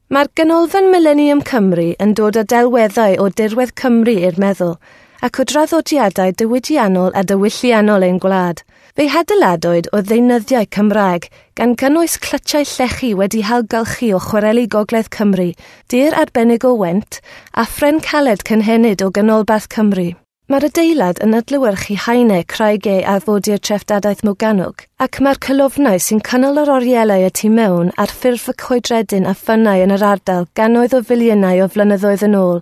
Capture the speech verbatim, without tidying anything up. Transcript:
Mae'r Ganolfan Mileniwm Cymru yn dod â delweddau o dirwedd Cymru i'r meddwl, ac o draddodiadau diwydiannol a diwylliannol ein gwlad. Fe'i hadeiladwyd o ddeunyddiau Cymraeg, gan gynnwys clytiau llechi wedi hailgylchu o chwareli Gogledd Cymru, dur arbennig o Went, a phren caled cynhenid o Ganolbarth Cymru. Mae'r adeilad yn adlewyrchu haenau creigiau arfordir treftadaeth Morgannwg, ac mae'r colofnau sy'n cynnal yr orielau y tu mewn ar ffurf y coedredyn a ffynnau yn yr ardal gannoedd o filiynau o flynyddoedd yn ôl.